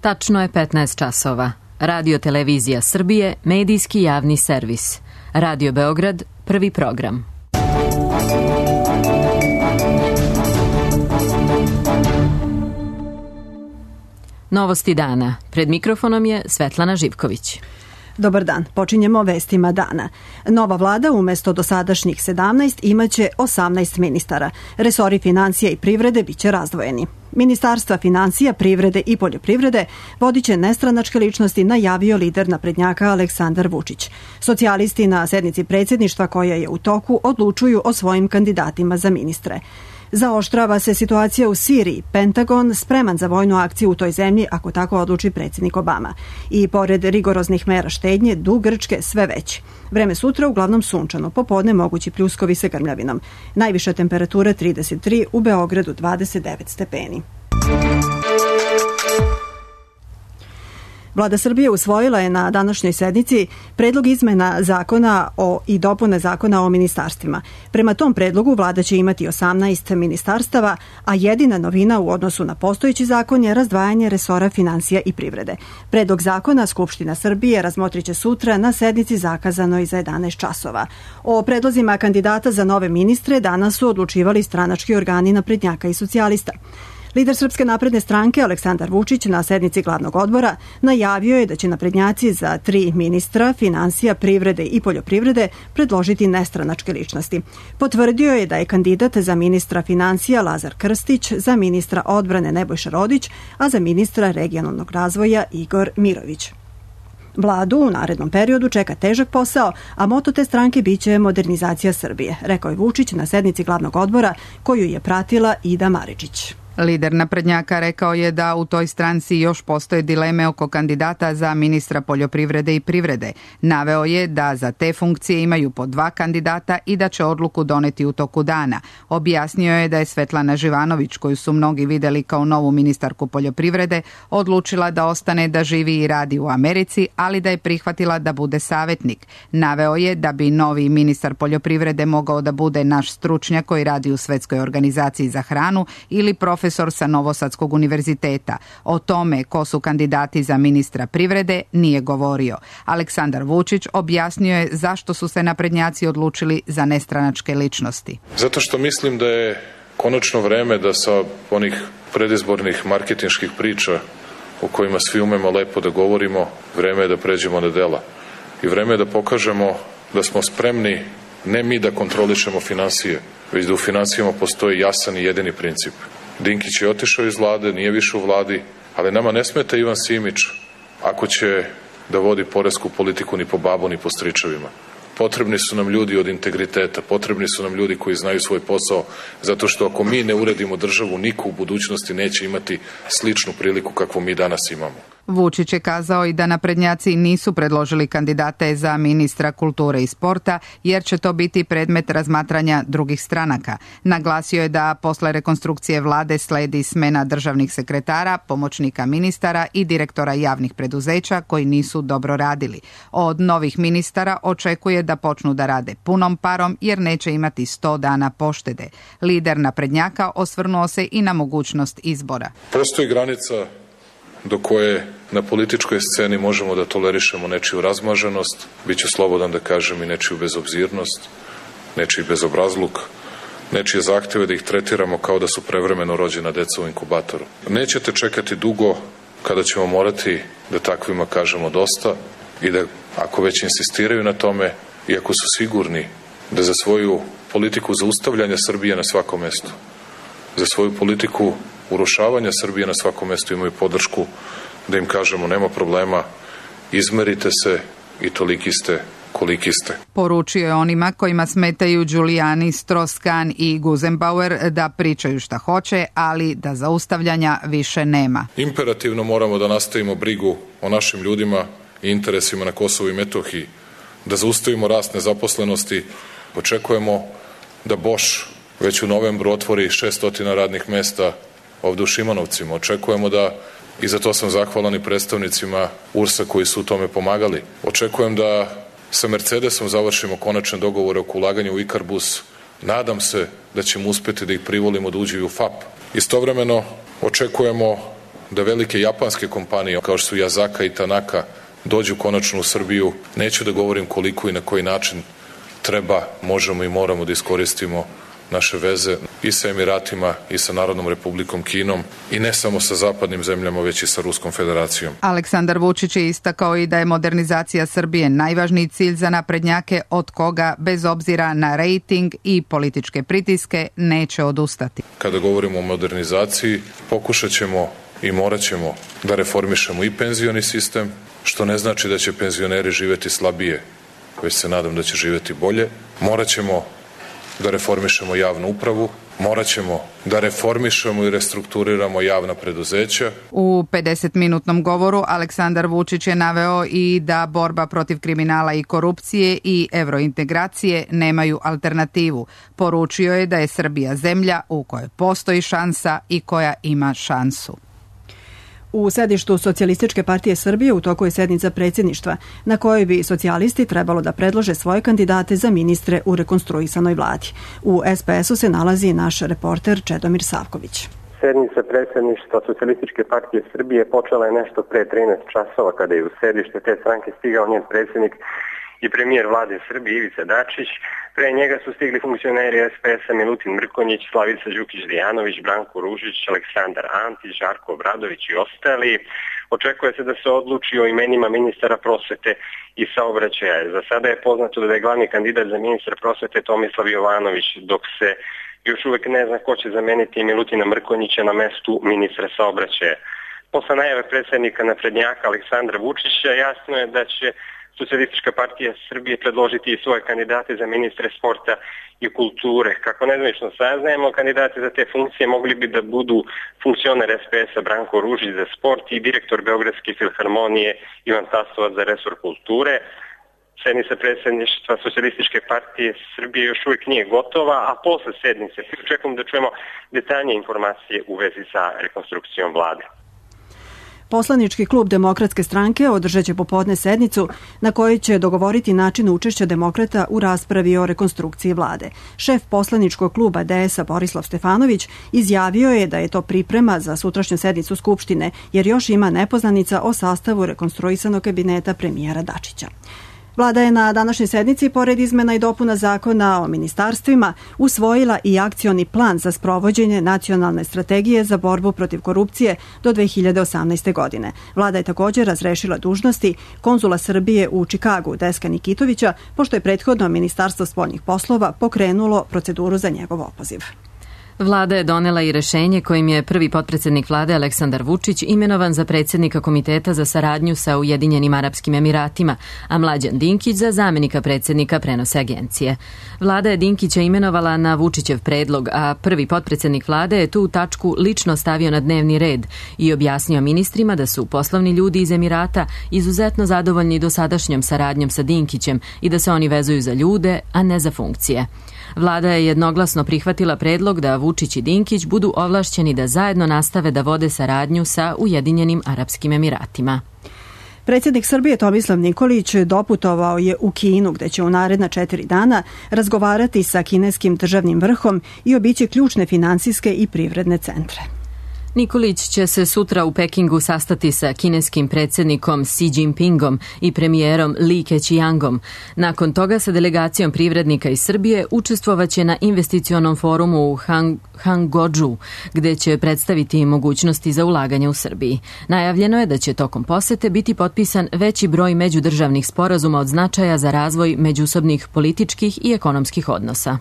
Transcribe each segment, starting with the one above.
Tačno je 15 časova. Radio Televizija Srbije, medijski javni servis. Radio Beograd, prvi program. Novosti dana. Pred mikrofonom je Svetlana Živković. Dobar dan, počinjemo vestima dana. Nova vlada umesto dosadašnjih 17 imaće 18 ministara. Resori financija i privrede biće razdvojeni. Ministarstva financija, privrede i poljoprivrede vodiće nestranačke ličnosti, najavio lider naprednjaka Aleksandar Vučić. Socijalisti na sednici predsjedništva koja je u toku odlučuju o svojim kandidatima za ministre. Zaoštrava se situacija u Siriji. Pentagon spreman za vojnu akciju u toj zemlji ako tako odluči predsjednik Obama. I pored rigoroznih mera štednje, dug Grčke sve veći. Vreme sutra uglavnom sunčano, popodne mogući pljuskovi sa grmljavinom. Najviša temperatura 33, u Beogradu 29 stepeni. Vlada Srbije usvojila je na današnjoj sednici predlog izmena zakona i dopune zakona o ministarstvima. Prema tom predlogu vlada će imati 18 ministarstava, a jedina novina u odnosu na postojeći zakon je razdvajanje resora financija i privrede. Predlog zakona Skupština Srbije razmotriće sutra na sednici zakazanoj za 11 časova. O predlozima kandidata za nove ministre danas su odlučivali stranački organi naprednjaka i socijalista. Lider Srpske napredne stranke Aleksandar Vučić na sednici glavnog odbora najavio je da će naprednjaci za 3 ministra financija, privrede i poljoprivrede predložiti nestranačke ličnosti. Potvrdio je da je kandidat za ministra financija Lazar Krstić, za ministra odbrane Nebojša Rodić, a za ministra regionalnog razvoja Igor Mirović. Vladu u narednom periodu čeka težak posao, a moto te stranke biće modernizacija Srbije, rekao je Vučić na sednici glavnog odbora koju je pratila Ida Maričić. Lider naprednjaka rekao je da u toj stranci još postoje dileme oko kandidata za ministra poljoprivrede i privrede. Naveo je da za te funkcije imaju po 2 kandidata i da će odluku doneti u toku dana. Objasnio je da je Svetlana Živanović, koju su mnogi videli kao novu ministarku poljoprivrede, odlučila da ostane da živi i radi u Americi, ali da je prihvatila da bude savjetnik. Naveo je da bi novi ministar poljoprivrede mogao da bude naš stručnjak koji radi u Svetskoj organizaciji za hranu ili profesor sa Novosadskog univerziteta. O tome ko su kandidati za ministra privrede nije govorio. Aleksandar Vučić objasnio je zašto su se naprednjaci odlučili za nestranačke ličnosti. Zato što mislim da je konačno vreme da sa onih predizbornih marketinških priča o kojima svi umemo lepo da govorimo, vreme je da pređemo na dela. I vreme je da pokažemo da smo spremni ne mi da kontrolišemo finansije, već da u finansijama postoji jasan i jedini princip. Dinkić je otišao iz vlade, nije više u vladi, ali nama ne smeta Ivan Simić ako će da vodi poresku politiku ni po babu ni po stričevima. Potrebni su nam ljudi od integriteta, potrebni su nam ljudi koji znaju svoj posao, zato što ako mi ne uredimo državu, niko u budućnosti neće imati sličnu priliku kakvu mi danas imamo. Vučić je kazao i da naprednjaci nisu predložili kandidate za ministra kulture i sporta, jer će to biti predmet razmatranja drugih stranaka. Naglasio je da posle rekonstrukcije vlade sledi smena državnih sekretara, pomoćnika ministara i direktora javnih preduzeća koji nisu dobro radili. Od novih ministara očekuje da počnu da rade punom parom jer neće imati 100 dana poštede. Lider naprednjaka osvrnuo se i na mogućnost izbora. Postoji granica do koje na političkoj sceni možemo da tolerišemo nečiju razmaženost, bit ću slobodan da kažem i nečiju bezobzirnost, nečiji bezobrazluk, nečije zahtjeve da ih tretiramo kao da su prevremeno rođena deca u inkubatoru. Nećete čekati dugo kada ćemo morati da takvima kažemo dosta i da ako već insistiraju na tome i ako su sigurni da za svoju politiku zaustavljanja Srbije na svakom mestu, za svoju politiku urušavanja Srbije na svakom mestu imaju podršku, da im kažemo nema problema, izmerite se i toliki ste koliki ste. Poručio je onima kojima smetaju Giuliani, Strauss-Kahn i Gusenbauer da pričaju šta hoće, ali da zaustavljanja više nema. Imperativno moramo da nastavimo brigu o našim ljudima i interesima na Kosovu i Metohiji, da zaustavimo rast nezaposlenosti. Očekujemo da Bosch već u novembru otvori 600 radnih mesta ovde u Šimanovcima. Očekujemo da, i za to sam zahvalan i predstavnicima URS-a koji su u tome pomagali, očekujem da sa Mercedesom završimo konačne dogovore oko ulaganja u Ikarbus. Nadam se da ćemo uspeti da ih privolimo da uđu u FAP. Istovremeno očekujemo da velike japanske kompanije kao što su Yazaka i Tanaka dođu konačno u Srbiju. Neću da govorim koliko i na koji način treba, možemo i moramo da iskoristimo naše veze i sa Emiratima i sa Narodnom Republikom Kinom i ne samo sa zapadnim zemljama, već i sa Ruskom federacijom. Aleksandar Vučić je istakao i da je modernizacija Srbije najvažniji cilj za naprednjake od koga, bez obzira na rejting i političke pritiske, neće odustati. Kada govorimo o modernizaciji, pokušat ćemo i morat ćemo da reformišemo i penzioni sistem, što ne znači da će penzioneri živeti slabije, već se nadam da će živeti bolje. Morat ćemo da reformišemo javnu upravu, morat ćemo da reformišemo i restrukturiramo javna preduzeća. U 50-minutnom govoru Aleksandar Vučić je naveo i da borba protiv kriminala i korupcije i evrointegracije nemaju alternativu. Poručio je da je Srbija zemlja u kojoj postoji šansa i koja ima šansu. U sedištu Socijalističke partije Srbije u toku je sednica predsjedništva na kojoj bi socijalisti trebalo da predlože svoje kandidate za ministre u rekonstruisanoj vladi. U SPS-u se nalazi naš reporter Čedomir Savković. Sednica predsjedništva Socijalističke partije Srbije počela je nešto pre 13 časova kada je u sedište te stranke stigao njen predsjednik i premijer vlade Srbije Ivica Dačić. Pre njega su stigli funkcioneri SPS-a Milutin Mrkonjić, Slavica Đukić-Dejanović, Branko Ružić, Aleksandar Antić, Žarko Obradović i ostali. Očekuje se da se odluči o imenima ministara prosvete i saobraćaja. Za sada je poznato da je glavni kandidat za ministra prosvete Tomislav Jovanović, dok se još uvek ne zna ko će zameniti Milutina Mrkonjića na mestu ministra saobraćaja. Posle najave predsjednika naprednjaka Aleksandra Vučića jasno je da će Socijalistička partija Srbije predložiti i svoje kandidate za ministre sporta i kulture. Kako nezvanično saznajemo, kandidati za te funkcije mogli bi da budu funkcioner SPS-a Branko Ružić za sport i direktor Beogradske filharmonije Ivan Tasovac za resor kulture. Sednica predsjedništva Socijalističke partije Srbije još uvijek nije gotova, a posle sednice očekujemo da čujemo detaljnije informacije u vezi sa rekonstrukcijom vlade. Poslanički klub Demokratske stranke održat će popodne sednicu na kojoj će dogovoriti način učešća demokrata u raspravi o rekonstrukciji vlade. Šef poslaničkog kluba DS-a Borislav Stefanović izjavio je da je to priprema za sutrašnju sednicu Skupštine, jer još ima nepoznanica o sastavu rekonstruisanog kabineta premijera Dačića. Vlada je na današnjoj sednici, pored izmena i dopuna zakona o ministarstvima, usvojila i akcioni plan za sprovođenje nacionalne strategije za borbu protiv korupcije do 2018. godine. Vlada je također razrešila dužnosti konzula Srbije u Čikagu Deska Nikitovića, pošto je prethodno Ministarstvo spoljnih poslova pokrenulo proceduru za njegov opoziv. Vlada je donela i rešenje kojim je prvi potpredsjednik vlade Aleksandar Vučić imenovan za predsjednika Komiteta za saradnju sa Ujedinjenim Arapskim Emiratima, a Mlađan Dinkić za zamenika predsjednika prenose agencije. Vlada je Dinkića imenovala na Vučićev predlog, a prvi potpredsjednik vlade je tu tačku lično stavio na dnevni red i objasnio ministrima da su poslovni ljudi iz Emirata izuzetno zadovoljni dosadašnjom saradnjom sa Dinkićem i da se oni vezuju za ljude, a ne za funkcije. Vlada je jednoglasno prihvatila predlog da Vučić i Dinkić budu ovlašćeni da zajedno nastave da vode saradnju sa Ujedinjenim Arapskim Emiratima. Predsjednik Srbije Tomislav Nikolić doputovao je u Kinu, gde će u naredna 4 dana razgovarati sa kineskim državnim vrhom i obići ključne finansijske i privredne centre. Nikolić će se sutra u Pekingu sastati sa kineskim predsjednikom Xi Jinpingom i premijerom Li Keqiangom. Nakon toga sa delegacijom privrednika iz Srbije učestvovaće na investicionom forumu u Hangzhou, gde će predstaviti mogućnosti za ulaganje u Srbiji. Najavljeno je da će tokom posete biti potpisan veći broj međudržavnih sporazuma od značaja za razvoj međusobnih političkih i ekonomskih odnosa.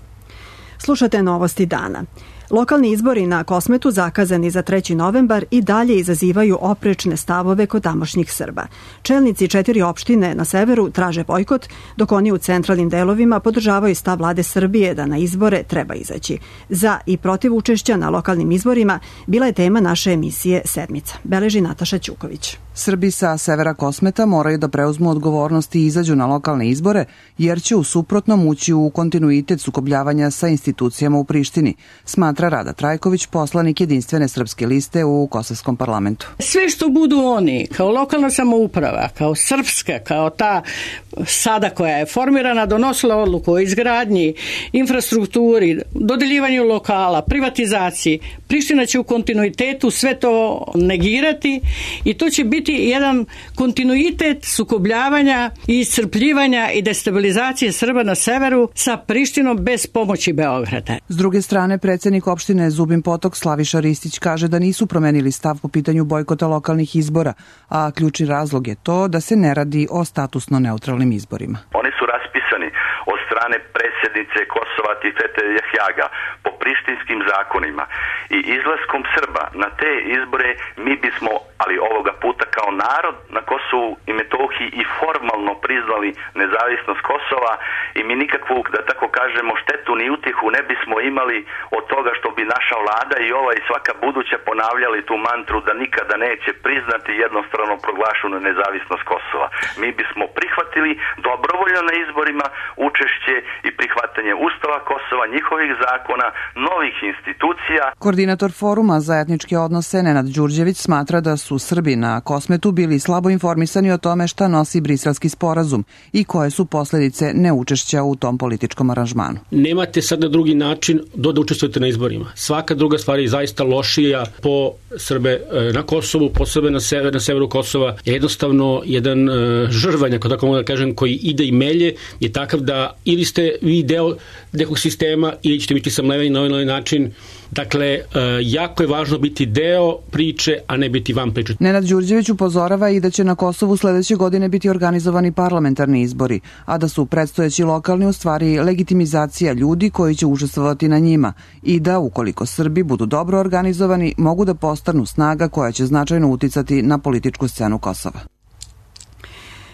Slušate novosti dana. Lokalni izbori na Kosmetu, zakazani za 3. novembar, i dalje izazivaju oprečne stavove kod tamošnjih Srba. Čelnici 4 opštine na severu traže bojkot, dok oni u centralnim delovima podržavaju stav vlade Srbije da na izbore treba izaći. Za i protiv učešća na lokalnim izborima bila je tema naše emisije Sedmica. Beleži Nataša Ćuković. Srbi sa severa Kosmeta moraju da preuzmu odgovornost i izađu na lokalne izbore, jer će u suprotnom ući u kontinuitet sukobljavanja sa institucijama u Prištini, smatra Rada Trajković, poslanik Jedinstvene srpske liste u Kosovskom parlamentu. Sve što budu oni, kao lokalna samouprava, kao srpska, kao ta sada koja je formirana, donosila odluku o izgradnji, infrastrukturi, dodeljivanju lokala, privatizaciji, Priština će u kontinuitetu sve to negirati i to će biti jedan kontinuitet sukobljavanja i iscrpljivanja i destabilizacije Srba na severu sa Prištinom bez pomoći Beograda. S druge strane, predsjednik opštine Zubin Potok Slaviša Ristić kaže da nisu promenili stav po pitanju bojkota lokalnih izbora, a ključni razlog je to da se ne radi o statusno neutralnim izborima. Oni su raspisani od strane predsjednice Kosova Tifete Jahjaga po prištinskim zakonima i izlaskom Srba na te izbore mi bismo, ali ovoga puta kao narod na Kosovu i Metohiji, i formalno priznali nezavisnost Kosova i mi nikakvu, da tako kažemo, štetu ni utjehu ne bismo imali od toga što bi naša vlada i ova i svaka buduća ponavljali tu mantru da nikada neće priznati jednostrano proglašenu nezavisnost Kosova. Mi bismo prihvatili dobrovoljno na izborima učešće i prihvatanje Ustava Kosova, njihovih zakona, novih institucija. Koordinator foruma za etničke odnose Nenad Đurđević smatra da su Srbi na Kosmetu bili slabo informisani o tome šta nosi Briselski sporazum i koje su posledice neučešća u tom političkom aranžmanu. Nemate sad na drugi način da učestvujete na izborima. Svaka druga stvar je zaista lošija po Srbe na Kosovu, po Srbe na severu Kosova. Jednostavno, jedan žrvanj, ako tako mogu da kažem, koji ide i melje, je takav da ili ste vi deo nekog sistema ili ćete biti samleveni na ovaj način. Dakle, jako je važno biti deo priče, a ne biti van priče. Nenad Đurđević upozorava i da će na Kosovu sledeće godine biti organizovani parlamentarni izbori, a da su predstojeći lokalni u stvari legitimizacija ljudi koji će učestvovati na njima i da, ukoliko Srbi budu dobro organizovani, mogu da postanu snaga koja će značajno uticati na političku scenu Kosova.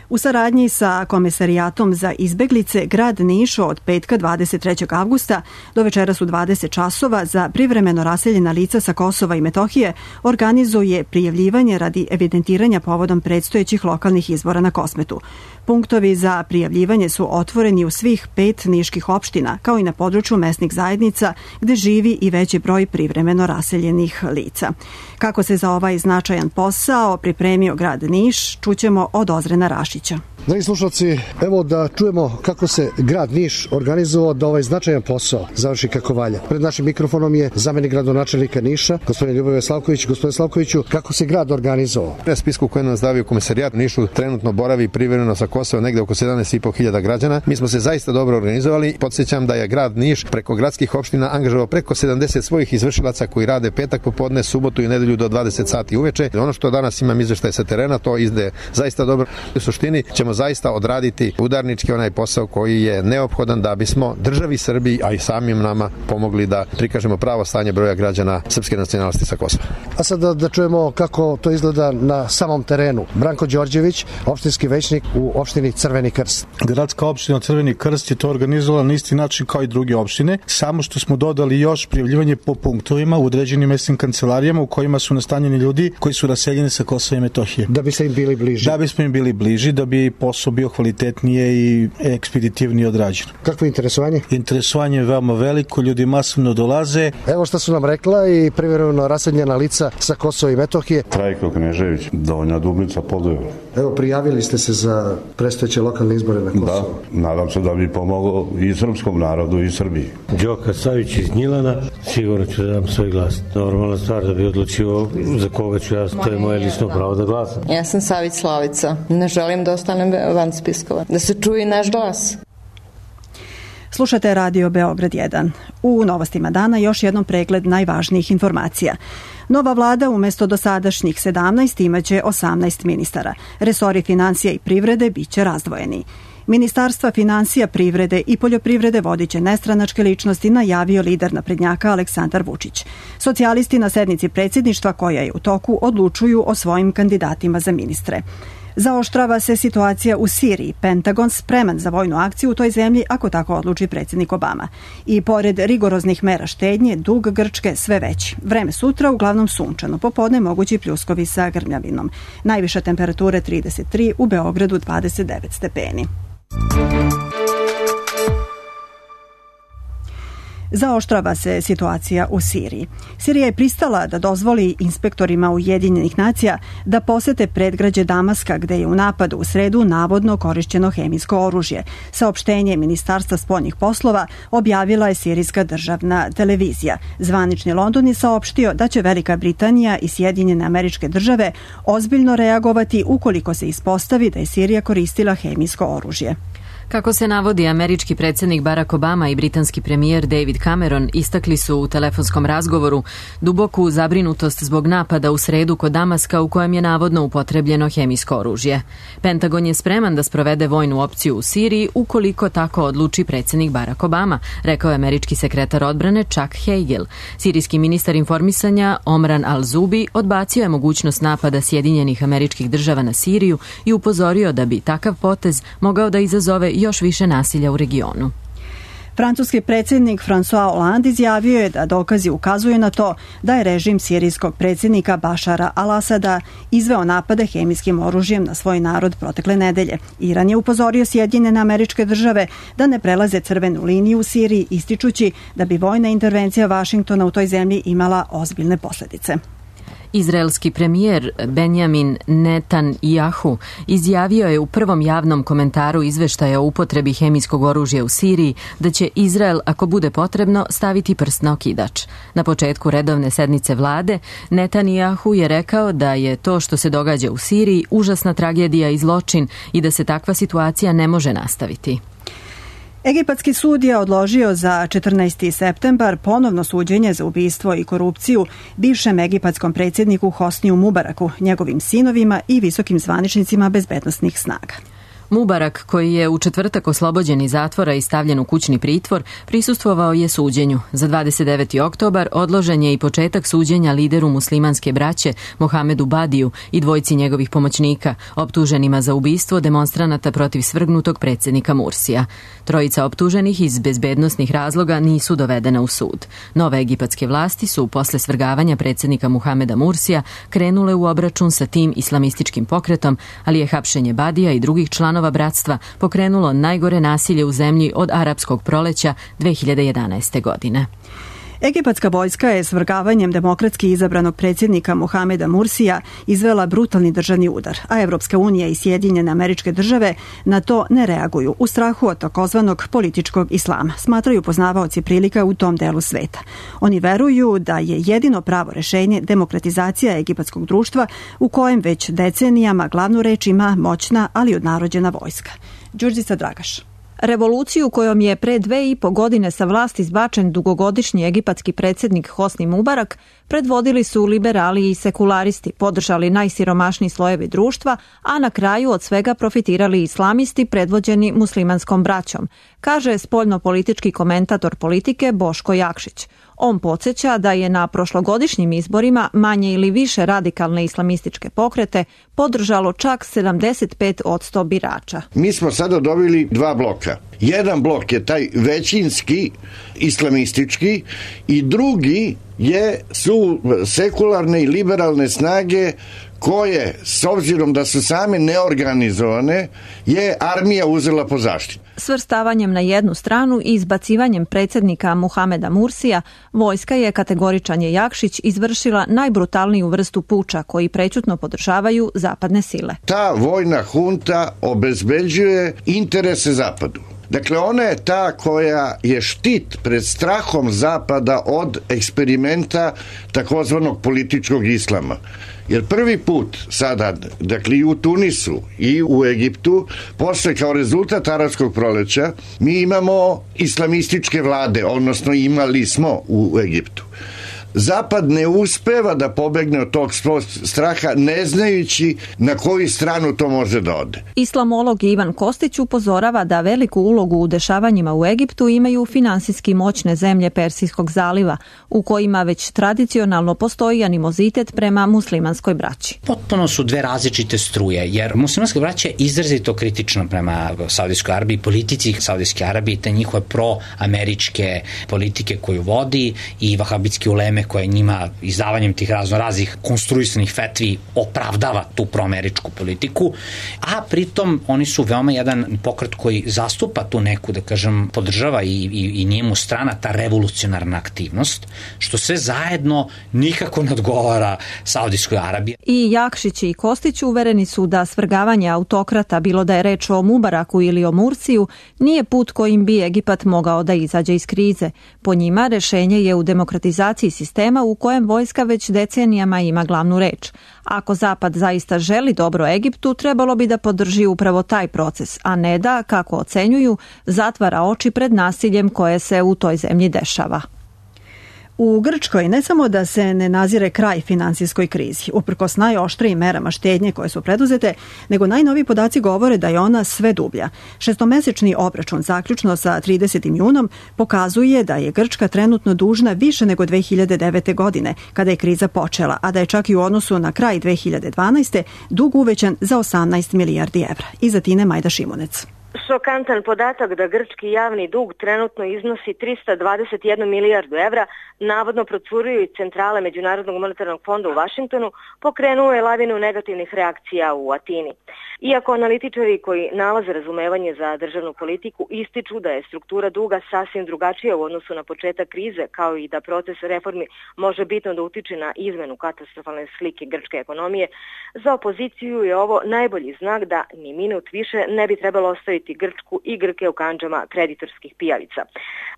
U saradnji sa Komesarijatom za izbeglice, grad Niš od petka 23. avgusta do večeras u 20 časova za privremeno raseljena lica sa Kosova i Metohije organizuje prijavljivanje radi evidentiranja povodom predstojećih lokalnih izbora na Kosmetu. Punktovi za prijavljivanje su otvoreni u svih 5 niških opština, kao i na području mesnih zajednica gde živi i veći broj privremeno raseljenih lica. Kako se za ovaj značajan posao pripremio grad Niš, čućemo od Ozrena Rašića. Dragi slušalci, evo da čujemo kako se grad Niš organizovao da ovaj značajan posao završi kako valja. Pred našim mikrofonom je zamenik gradonačelnika Niša, gospodin Ljuboje Slavković. Gospodine Slavkoviću, kako se grad organizovao? Na spisku koji nam zdavio Komesarijat Nišu trenutno boravi privremeno sa Kosova negde oko 17.500 građana. Mi smo se zaista dobro organizovali. Podsjećam da je grad Niš preko gradskih opština angažovao preko 70 svojih izvršilaca koji rade petak popodne, subotu i nedelju do 20 sati uveče. Ono što danas imam izveštaj sa terena, to ide zaista dobro. U suštini ćemo zaista odraditi udarnički onaj posao koji je neophodan da bismo državi Srbiji, a i samim nama pomogli da prikažemo pravo stanje broja građana srpske nacionalnosti sa Kosova. A sad da čujemo kako to izgleda na samom terenu. Branko Đorđević, opštinski većnik u opštini Crveni Krst. Gradska opština Crveni Krst je to organizovala na isti način kao i druge opštine, samo što smo dodali još prijavljivanje po punktovima u određenim mesnim kancelarijama u kojima su nastanjeni ljudi koji su raseljeni sa Kosova i Metohije. Da biste im bili bliži. Da bismo im bili bliži, da bi posao bio kvalitetnije i ekspeditivnije odrađen. Kakvo je interesovanje? Interesovanje je veoma veliko, ljudi masovno dolaze. Evo što su nam rekla i privremeno raseljena lica sa Kosova i Metohije. Trajko Knežević, Donja Dublica, Podujevo. Evo, prijavili ste se za predstojeće lokalne izbore na Kosovu. Da, nadam se da bi pomogao i srpskom narodu i Srbiji. Đoka Savić iz Gnjilana, sigurno ću da dam svoj glas. Normalna stvar da bi odlučio za koga ću ja, to je moje lično pravo da glasam. Ja sam Savić Slavica, ne želim da ostanem van spiskova, da se čuje naš glas. Slušate Radio Beograd 1. U novostima dana još jednom pregled najvažnijih informacija. Nova vlada umesto dosadašnjih 17 imaće 18 ministara. Resori financija i privrede biće razdvojeni. Ministarstva financija, privrede i poljoprivrede vodiće nestranačke ličnosti, najavio lider naprednjaka Aleksandar Vučić. Socijalisti na sednici predsjedništva koja je u toku odlučuju o svojim kandidatima za ministre. Zaoštrava se situacija u Siriji. Pentagon spreman za vojnu akciju u toj zemlji ako tako odluči predsjednik Obama. I pored rigoroznih mera štednje, dug Grčke sve veći. Vreme sutra uglavnom sunčano, popodne mogući pljuskovi sa grmljavinom. Najviša temperatura 33, u Beogradu 29 stepeni. Zaoštrava se situacija u Siriji. Sirija je pristala da dozvoli inspektorima Ujedinjenih nacija da posete predgrađe Damaska, gde je u napadu u sredu navodno korišćeno hemijsko oružje. Saopštenje Ministarstva spoljnih poslova objavila je sirijska državna televizija. Zvanični London je saopštio da će Velika Britanija i Sjedinjene Američke Države ozbiljno reagovati ukoliko se ispostavi da je Sirija koristila hemijsko oružje. Kako se navodi, američki predsjednik Barack Obama i britanski premijer David Cameron istakli su u telefonskom razgovoru duboku zabrinutost zbog napada u sredu kod Damaska u kojem je navodno upotrebljeno hemijsko oružje. Pentagon je spreman da sprovede vojnu opciju u Siriji ukoliko tako odluči predsjednik Barack Obama, rekao je američki sekretar odbrane Chuck Hagel. Sirijski ministar informisanja Omran al-Zubi odbacio je mogućnost napada Sjedinjenih Američkih Država na Siriju i upozorio da bi takav potez mogao da izazove još više nasilja u regionu. Francuski predsjednik François Hollande izjavio je da dokazi ukazuju na to da je režim sirijskog predsjednika Bašara al-Asada izveo napade hemijskim oružjem na svoj narod protekle nedelje. Iran je upozorio Sjedinjene Američke Države da ne prelaze crvenu liniju u Siriji, ističući da bi vojna intervencija Vašingtona u toj zemlji imala ozbiljne posljedice. Izraelski premijer Benjamin Netanjahu izjavio je u prvom javnom komentaru izveštaja o upotrebi hemijskog oružja u Siriji da će Izrael, ako bude potrebno, staviti prst na okidač. Na početku redovne sednice vlade, Netanjahu je rekao da je to što se događa u Siriji užasna tragedija i zločin i da se takva situacija ne može nastaviti. Egipatski sud je odložio za 14. septembar ponovno suđenje za ubistvo i korupciju bivšem egipatskom predsjedniku Hosniju Mubaraku, njegovim sinovima i visokim zvaničnicima bezbednosnih snaga. Mubarak, koji je u četvrtak oslobođen iz zatvora i stavljen u kućni pritvor, prisustvovao je suđenju. Za 29. oktobar odložen je i početak suđenja lideru muslimanske braće Mohamedu Badiju i dvojci njegovih pomoćnika, optuženima za ubistvo demonstranata protiv svrgnutog predsjednika Mursija. Trojica optuženih iz bezbednosnih razloga nisu dovedena u sud. Nove egipatske vlasti su, posle svrgavanja predsjednika Muhameda Mursija, krenule u obračun sa tim islamističkim pokretom, ali je hapšenje Badija i drugih članova bratstva pokrenulo najgore nasilje u zemlji od arapskog proleća 2011. godine. Egipatska vojska je svrgavanjem demokratski izabranog predsjednika Mohameda Mursija izvela brutalni državni udar, a Evropska unija i Sjedinjene Američke Države na to ne reaguju u strahu od takozvanog političkog islama, smatraju poznavaoci prilika u tom delu sveta. Oni veruju da je jedino pravo rešenje demokratizacija egipatskog društva u kojem već decenijama glavnu reč ima moćna, ali odnarođena vojska. Đurđica Dragaš. Revoluciju kojom je pre 2,5 godine sa vlasti izbačen dugogodišnji egipatski predsjednik Hosni Mubarak predvodili su liberali i sekularisti, podržali najsiromašniji slojevi društva, a na kraju od svega profitirali islamisti predvođeni muslimanskom braćom, kaže spoljno-politički komentator politike Boško Jakšić. On podsjeća da je na prošlogodišnjim izborima manje ili više radikalne islamističke pokrete podržalo čak 75% birača. Mi smo sada dobili dva bloka. Jedan blok je taj većinski islamistički i drugi su sekularne i liberalne snage koje, s obzirom da su same neorganizovane, je armija uzela po zaštitu. Svrstavanjem na jednu stranu i izbacivanjem predsjednika Muhameda Mursija, vojska je, kategoričan je Jakšić, izvršila najbrutalniju vrstu puča koji prećutno podržavaju zapadne sile. Ta vojna hunta obezbeđuje interese zapadu. Dakle, ona je ta koja je štit pred strahom zapada od eksperimenta takozvanog političkog islama. Jer prvi put sada, dakle i u Tunisu i u Egiptu, posle kao rezultat arapskog proleća, mi imamo islamističke vlade, odnosno imali smo u Egiptu. Zapad ne uspeva da pobegne od tog straha, ne znajući na koju stranu to može da ode. Islamolog Ivan Kostić upozorava da veliku ulogu u dešavanjima u Egiptu imaju finansijski moćne zemlje Persijskog zaliva, u kojima već tradicionalno postoji animozitet prema muslimanskoj braći. Potpuno su dve različite struje, jer muslimanska braća je izrazito kritična prema Saudijskoj Arabiji, politici Saudijske Arabije, te njihove proameričke politike koju vodi i vahabitski uleme vreme koje njima izdavanjem tih raznoraznih konstruisanih fetvi opravdava tu proameričku politiku, a pritom oni su veoma jedan pokret koji zastupa tu neku, da kažem, podržava i nije mu strana ta revolucionarna aktivnost, što sve zajedno nikako ne odgovara Saudijskoj Arabiji. I Jakšić i Kostić uvereni su da svrgavanje autokrata, bilo da je reč o Mubaraku ili o Mursiju, nije put kojim bi Egipat mogao da izađe iz krize. Po njima, rešenje je u demokratizaciji sistema u kojem vojska već decenijama ima glavnu reč. Ako Zapad zaista želi dobro Egiptu, trebalo bi da podrži upravo taj proces, a ne da, kako ocenjuju, zatvara oči pred nasiljem koje se u toj zemlji dešava. U Grčkoj ne samo da se ne nazire kraj finansijskoj krizi, uprkos najoštrijim merama štednje koje su preduzete, nego najnoviji podaci govore da je ona sve dublja. Šestomesečni obračun zaključno sa 30. junom pokazuje da je Grčka trenutno dužna više nego 2009. godine, kada je kriza počela, a da je čak i u odnosu na kraj 2012. dug uvećan za 18 milijardi evra. Iza Tine Majda Šimunec. Šokantan podatak da grčki javni dug trenutno iznosi 321 milijardu evra, navodno procuruje iz centrale Međunarodnog monetarnog fonda u Vašingtonu, pokrenuo je lavinu negativnih reakcija u Atini. Iako analitičari koji nalaze razumevanje za državnu politiku ističu da je struktura duga sasvim drugačija u odnosu na početak krize, kao i da proces reformi može bitno da utiče na izmenu katastrofalne slike grčke ekonomije, za opoziciju je ovo najbolji znak da ni minut više ne bi trebalo ostaviti Grčku i Grke u kandžama kreditorskih pijavica.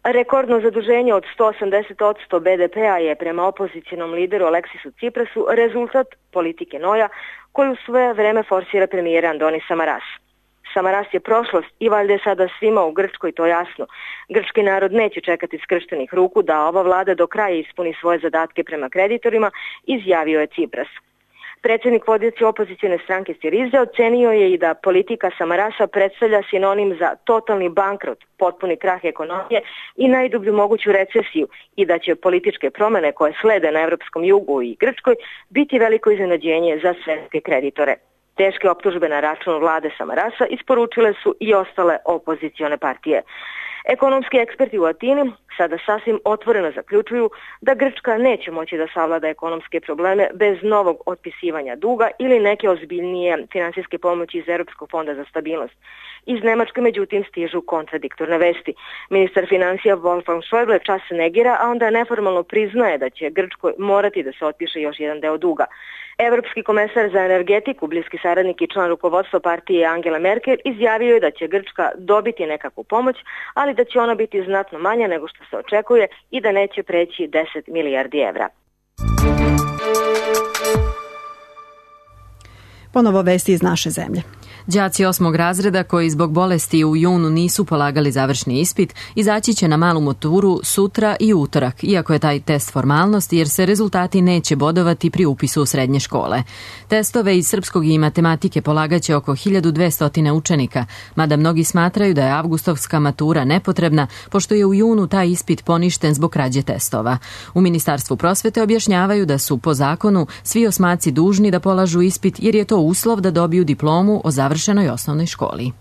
Rekordno zaduženje od 180% BDP-a je prema opozicionom lideru Aleksisu Ciprasu rezultat politike Noja koju sve vreme forsira premijer Andoni Samaras. Samaras je prošlost i valjda je sada svima u Grčkoj to jasno. Grčki narod neće čekati skrštenih ruku da ova vlada do kraja ispuni svoje zadatke prema kreditorima, izjavio je Cipras. Predsjednik vodeće opozicione stranke Siriza ocenio je i da politika Samarasa predstavlja sinonim za totalni bankrot, potpuni krah ekonomije i najdublju moguću recesiju i da će političke promjene koje slede na evropskom jugu i Grčkoj biti veliko iznenađenje za svetske kreditore. Teške optužbe na račun vlade Samarasa isporučile su i ostale opozicione partije. Ekonomski eksperti u Atini sada sasvim otvoreno zaključuju da Grčka neće moći da savlada ekonomske probleme bez novog otpisivanja duga ili neke ozbiljnije finansijske pomoći iz Europskog fonda za stabilnost. Iz Nemačke međutim stižu kontradiktorne vesti. Ministar financija Wolfgang Schäuble čas negira, a onda neformalno priznaje da će Grčkoj morati da se otpiše još jedan deo duga. Evropski komesar za energetiku, bliski saradnik i član rukovodstva partije Angela Merkel, izjavio je da će Grčka dobiti nekakvu pomoć, ali da će ona biti znatno manja nego što se očekuje i da neće preći 10 milijardi evra. Ponovo vesti iz naše zemlje. Đaci 8. razreda koji zbog bolesti u junu nisu polagali završni ispit izaći će na malu maturu sutra i utorak, iako je taj test formalnost jer se rezultati neće bodovati pri upisu u srednje škole. Testove iz srpskog i matematike polagaće oko 1200 učenika, mada mnogi smatraju da je avgustovska matura nepotrebna, pošto je u junu taj ispit poništen zbog krađe testova. U Ministarstvu prosvete objašnjavaju da su po zakonu svi osmaci dužni da polažu ispit jer je to uslov da dobiju diplomu o završenoj osnovnoj školi.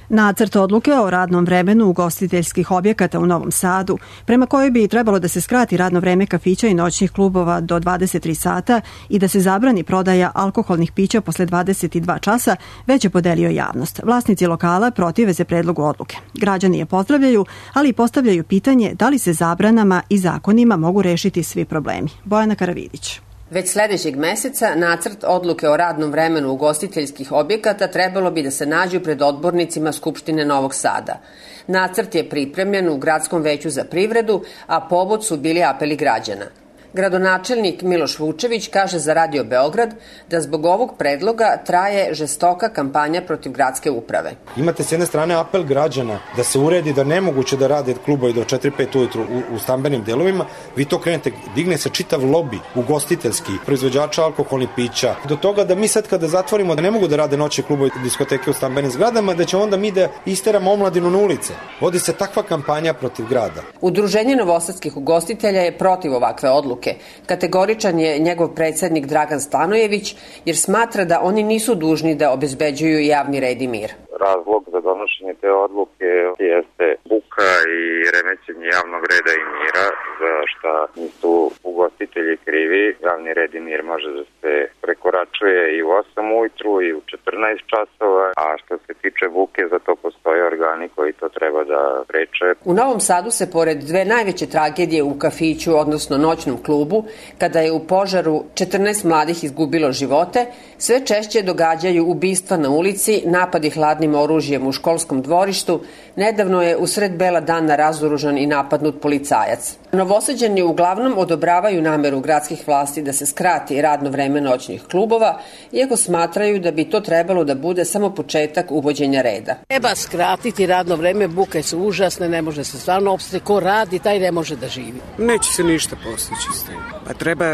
Nacrt odluke o radnom vremenu ugostiteljskih objekata u Novom Sadu, prema kojoj bi trebalo da se skrati radno vreme kafića i noćnih klubova do 23 sata i da se zabrani prodaja alkoholnih pića posle 22 časa, već je podelio javnost. Vlasnici lokala protive se predlogu odluke. Građani je pozdravljaju, ali i postavljaju pitanje da li se zabranama i zakonima mogu rešiti svi problemi. Bojana Karavidić. Već sledećeg meseca nacrt odluke o radnom vremenu ugostiteljskih objekata trebalo bi da se nađu pred odbornicima Skupštine Novog Sada. Nacrt je pripremljen u Gradskom veću za privredu, a povod su bili apeli građana. Gradonačelnik Miloš Vučević kaže za Radio Beograd da zbog ovog predloga traje žestoka kampanja protiv gradske uprave. Imate s jedne strane apel građana da se uredi da nemoguće da rade klubovi do 4-5 ujutru u stambenim delovima, vi to krenete, digne se čitav lobi ugostiteljski, proizvođača alkoholnih pića, do toga da mi sad kada zatvorimo da ne mogu da rade noćni klubovi i diskoteke u stambenim zgradama, da će onda mi da isteramo omladinu na ulice. Vodi se takva kampanja protiv grada. Udruženje novosadskih ugostitelja je protiv ovakve odluke. Kategoričan je njegov predsednik Dragan Stanojević jer smatra da oni nisu dužni da obezbeđuju javni red i mir. Razlog za donošenje te odluke jeste buka i remećenje javnog reda i mira, za šta nisu ugostitelji krivi, javni red i mir može da se prekoračuje i u 8 ujutru i u 14 časova, a što se tiče buke, za to postoje organi koji to treba da preče. U Novom Sadu se pored dve najveće tragedije u kafiću, odnosno noćnom klubu, kada je u požaru 14 mladih izgubilo živote, sve češće događaju ubistva na ulici, napadi hladnim oružjem u školskom dvorištu. Nedavno je usred bela dana razoružan i napadnut policajac. Novosađani uglavnom odobravaju nameru gradskih vlasti da se skrati radno vreme noćnih klubova, iako smatraju da bi to trebalo da bude samo početak uvođenja reda. Treba skratiti radno vreme, buke su užasne, ne može se stvarno opstati. Ko radi, taj ne može da živi. Neće se ništa postići s tim. Pa treba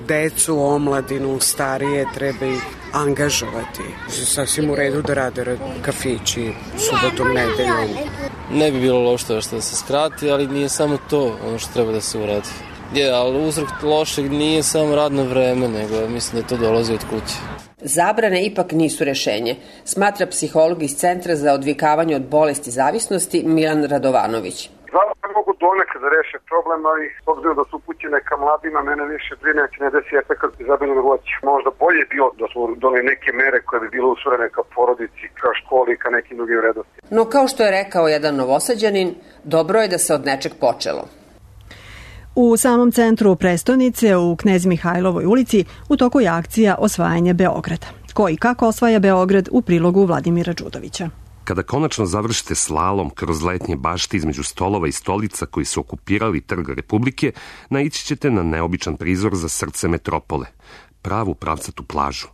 decu, omladinu, starije, treba ih angažovati. Sasvim u redu da rade kafići subotom, nedeljom. Ne bi bilo loše što se skrati, ali nije samo to ono što treba da se uradi. Ali uzrok lošeg nije samo radno vreme, nego mislim da to dolazi od kuće. Zabrane ipak nisu rešenje, smatra psiholog iz Centra za odvikavanje od bolesti zavisnosti Milan Radovanović. Zavrame mogu donekad da reše problem, ali s obzirom da su upućene ka mladima, mene više brine će ne desi efekat izabeljene voće. Možda bolje je bilo da smo doneli neke mere koje bi bilo usvorene ka porodici, ka školi, ka nekim drugim vrednostima. No kao što je rekao jedan Novosađanin, dobro je da se od nečeg počelo. U samom centru prestonice, u Knez Mihajlovoj ulici, u toku je akcija Osvajanje Beograda. Ko i kako osvaja Beograd u prilogu Vladimira Đudovića. Kada konačno završite slalom kroz letnje bašte između stolova i stolica koji su okupirali Trg Republike, naići ćete na neobičan prizor za srce metropole, pravu pravcatu plažu.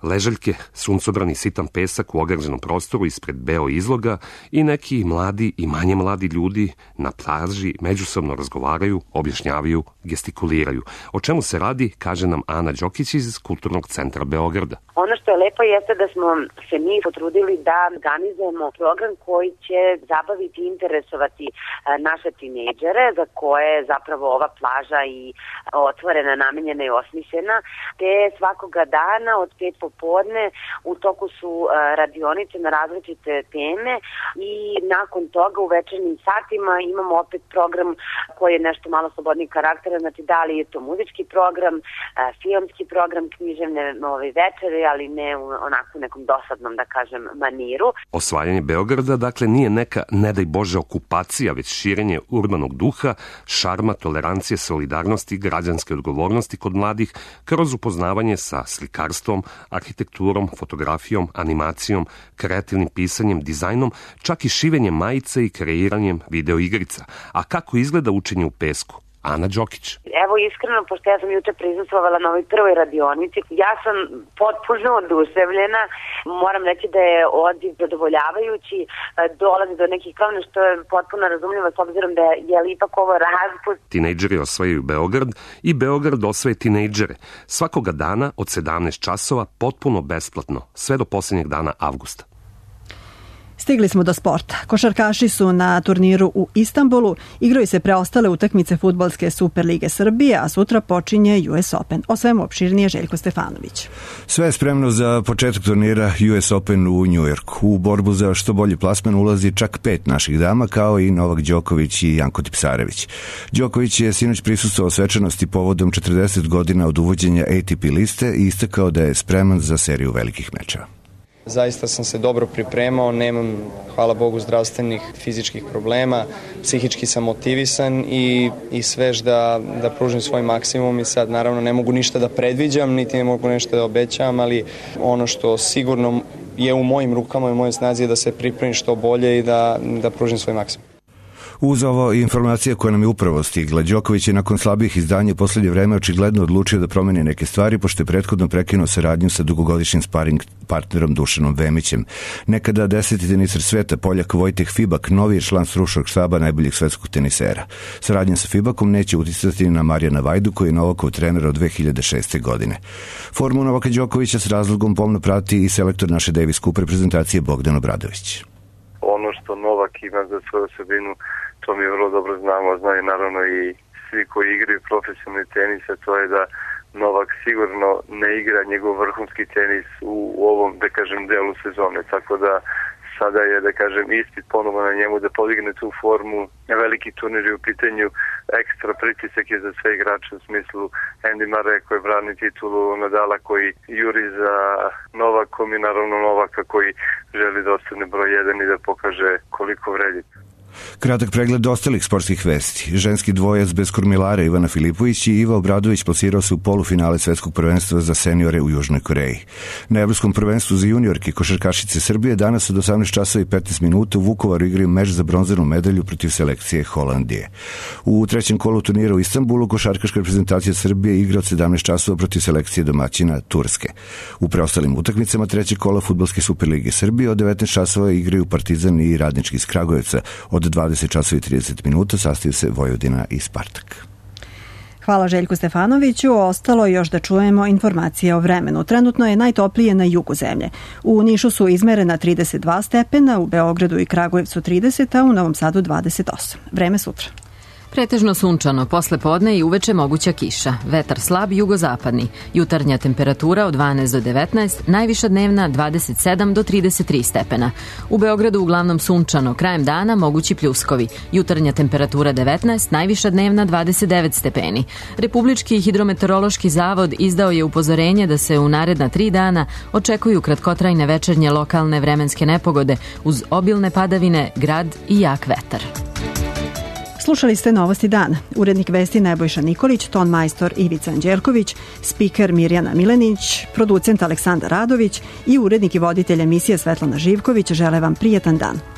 Ležaljke, suncobrani sitan pesak u ograđenom prostoru ispred beo izloga i neki mladi i manje mladi ljudi na plaži međusobno razgovaraju, objašnjavaju, gestikuliraju. O čemu se radi, kaže nam Ana Đokić iz Kulturnog centra Beograda. Ono što je lepo jeste da smo se mi potrudili da organizujemo program koji će zabaviti i interesovati naše tinejdžere, za koje je zapravo ova plaža i otvorena, namenjena i osmišljena, te svakoga dana od 5 popodne u toku su radionice na različite teme i nakon toga u večernjim satima imamo opet program koji je nešto malo slobodnijeg karaktera, znači da li je to muzički program, filmski program, književne večere, ali ne u onako nekom dosadnom, da kažem, maniru. Osvajanje Beograda, dakle, nije neka, ne daj Bože, okupacija, već širenje urbanog duha, šarma, tolerancije, solidarnosti, građanske odgovornosti kod mladih, kroz upoznavanje sa slikarstvom, arhitekturom, fotografijom, animacijom, kreativnim pisanjem, dizajnom, čak i šivenjem majice i kreiranjem videoigrica. A kako izgleda učenje u pesku? Ana Đokić. Evo iskreno, pošto ja sam juče prisustvovala na ovoj prvoj radionici, ja sam potpuno oduševljena. Moram reći da je odziv zadovoljavajući, dolazi do nekih promena što je potpuno razumljivo s obzirom da je ipak ovo raspust. Tinejdžeri osvajaju Beograd i Beograd osvaje tinejdžere. Svakoga dana od 17 časova potpuno besplatno, sve do posljednjeg dana avgusta. Stigli smo do sporta. Košarkaši su na turniru u Istanbulu, igraju se preostale utakmice fudbalske Superlige Srbije, a sutra počinje US Open. O svemu opširnije Željko Stefanović. Sve je spremno za početak turnira US Open u Njujorku. U borbu za što bolji plasman ulazi čak 5 naših dama, kao i Novak Đoković i Janko Tipsarević. Đoković je sinoć prisustvovao svečanosti povodom 40 godina od uvođenja ATP liste i istakao da je spreman za seriju velikih mečeva. Zaista sam se dobro pripremao, nemam, hvala Bogu, zdravstvenih, fizičkih problema, psihički sam motivisan i svež da pružim svoj maksimum i sad naravno ne mogu ništa da predviđam, niti ne mogu nešto da obećavam, ali ono što sigurno je u mojim rukama i u mojoj snazi je da se pripremim što bolje i da pružim svoj maksimum. Uz ovo informacija koja nam je upravo stigla, Đoković je nakon slabih izdanja u poslednje vreme očigledno odlučio da promeni neke stvari, pošto je prethodno prekinuo saradnju sa dugogodišnjim sparing partnerom Dušanom Vemićem. Nekada 10. teniser sveta, Poljak Vojteh Fibak, novi je član stručnog štaba najboljeg svetskog tenisera. Saradnja sa Fibakom neće uticati na Marijana Vajdu, koji je Novakov trener od 2006. godine. Formu Novaka Đokovića s razlogom pomno prati i selektor naše Davis Cup reprezentacije Bogdan Obradović. Ono što Novak ima za svoju osobinu, to mi vrlo dobro znamo, znaju naravno i svi koji igraju profesionalni tenis, a to je da Novak sigurno ne igra njegov vrhunski tenis u ovom, da kažem, delu sezone, tako da sada je, da kažem, ispit ponovo na njemu da podigne tu formu. Veliki turnir je u pitanju, ekstra pritisak je za sve igrače u smislu Andy Murray koji brani titulu, Nadala koji juri za Novakom i naravno Novaka koji želi da ostane broj 1 i da pokaže koliko vredi. Kratak pregled ostalih sportskih vesti. Ženski dvojac bez kormilara Ivana Filipović i Iva Obradović plasirao se u polufinale svetskog prvenstva za seniore u Južnoj Koreji. Na evropskom prvenstvu za juniorke košarkašice Srbije danas od 18 časova i 15 minuta u Vukovaru igraju meč za bronzanu medalju protiv selekcije Holandije. U trećem kolu turnira u Istanbulu košarkaška reprezentacija Srbije igra od 17 časova protiv selekcije domaćina Turske. U preostalim utakmicama trećeg kola Fudbalske Superlige Srbije od 19 časova igraju Partizan i Radnički iz Kragujevca. Od 20 časova i 30 minuta sastaju se Vojvodina i Spartak. Hvala Željku Stefanoviću. Ostalo još da čujemo informacije o vremenu. Trenutno je najtoplije na jugu zemlje. U Nišu su izmerena 32 stepena, u Beogradu i Kragujevcu 30, a u Novom Sadu 28. Vreme sutra. Pretežno sunčano, posle podne i uveče moguća kiša. Vetar slab jugozapadni. Jutarnja temperatura od 12 do 19, najviša dnevna 27 do 33 stepena. U Beogradu uglavnom sunčano, krajem dana mogući pljuskovi. Jutarnja temperatura 19, najviša dnevna 29 stepeni. Republički hidrometeorološki zavod izdao je upozorenje da se u naredna 3 dana očekuju kratkotrajne večernje lokalne vremenske nepogode uz obilne padavine, grad i jak vetar. Slušali ste Novosti dana. Urednik vesti Nebojša Nikolić, ton majstor Ivica Anđelković, spiker Mirjana Milenić, producent Aleksandar Radović i urednik i voditelj emisije Svetlana Živković žele vam prijetan dan.